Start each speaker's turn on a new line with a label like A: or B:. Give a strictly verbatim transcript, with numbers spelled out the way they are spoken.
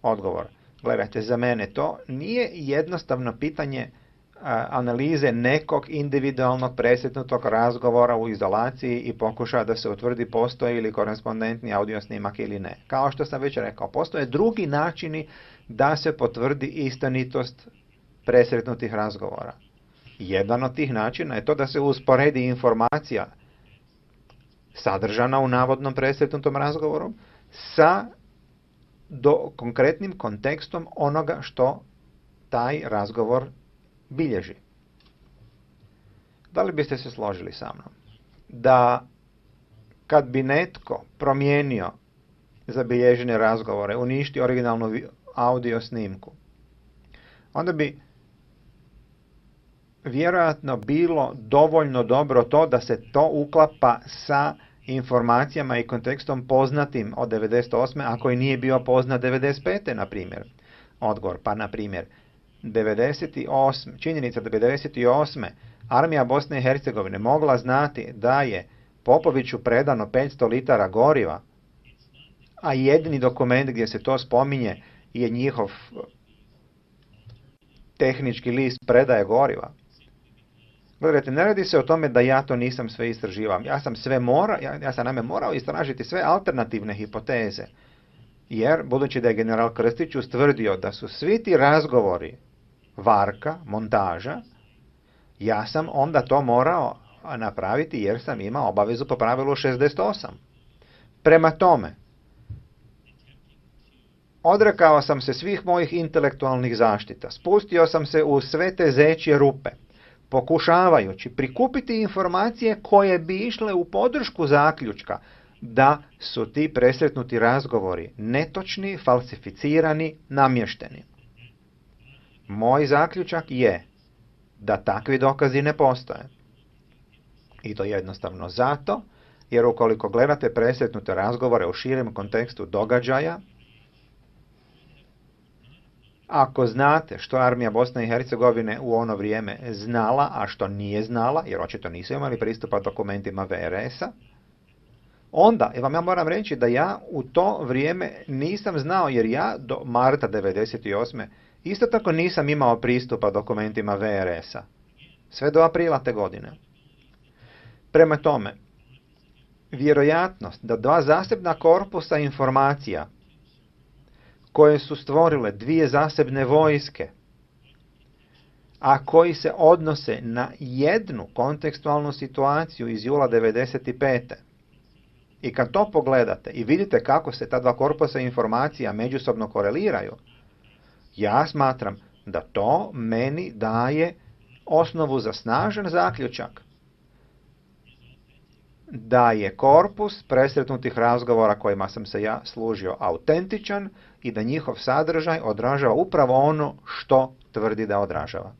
A: Odgovor. Gledajte, za mene to nije jednostavno pitanje a, analize nekog individualnog presretnutog razgovora u izolaciji i pokušaja da se utvrdi postoji li korespondentni audio snimak ili ne. Kao što sam već rekao, postoje drugi načini da se potvrdi istinitost presretnutih razgovora. Jedan od tih načina je to da se usporedi informacija sadržana u navodnom presretnutom razgovoru sa do konkretnim kontekstom onoga što taj razgovor bilježi. Da li biste se složili sa mnom da kad bi netko promijenio zabilježene razgovore, uništio originalnu audio snimku, onda bi vjerojatno bilo dovoljno dobro to da se to uklapa sa informacijama i kontekstom poznatim od devedeset osme ako i nije bio poznat devedeset pete na primjer. Odgovor, pa na primjer, devedeset osme, činjenica da devedeset osme armija Bosne i Hercegovine mogla znati da je Popoviću predano petsto litara goriva, a jedini dokument gdje se to spominje je njihov tehnički list predaje goriva. Gledajte, ne radi se o tome da ja to nisam sve istraživao. Ja sam sve mora, ja, ja sam naime morao istražiti sve alternativne hipoteze. Jer, budući da je general Krstić ustvrdio da su svi ti razgovori varka, montaža, ja sam onda to morao napraviti jer sam imao obavezu po pravilu šezdeset osam. Prema tome, odrekao sam se svih mojih intelektualnih zaštita, spustio sam se u sve te zečje rupe, pokušavajući prikupiti informacije koje bi išle u podršku zaključka da su ti presretnuti razgovori netočni, falsificirani, namješteni. Moj zaključak je da takvi dokazi ne postoje. I to jednostavno zato, jer ukoliko gledate presretnute razgovore u širem kontekstu događaja, ako znate što armija Bosne i Hercegovine u ono vrijeme znala, a što nije znala, jer očito nisu imali pristupa dokumentima ve er esa, onda, vam ja moram reći da ja u to vrijeme nisam znao, jer ja do marta devedeset osme isto tako nisam imao pristupa dokumentima ve er esa. Sve do aprila te godine. Prema tome, vjerojatnost da dva zasebna korpusa informacija koje su stvorile dvije zasebne vojske, a koji se odnose na jednu kontekstualnu situaciju iz jula devedeset pete. I kad to pogledate i vidite kako se ta dva korpusa informacija međusobno koreliraju, ja smatram da to meni daje osnovu za snažan zaključak da je korpus presretnutih razgovora kojima sam se ja služio autentičan i da njihov sadržaj odražava upravo ono što tvrdi da odražava.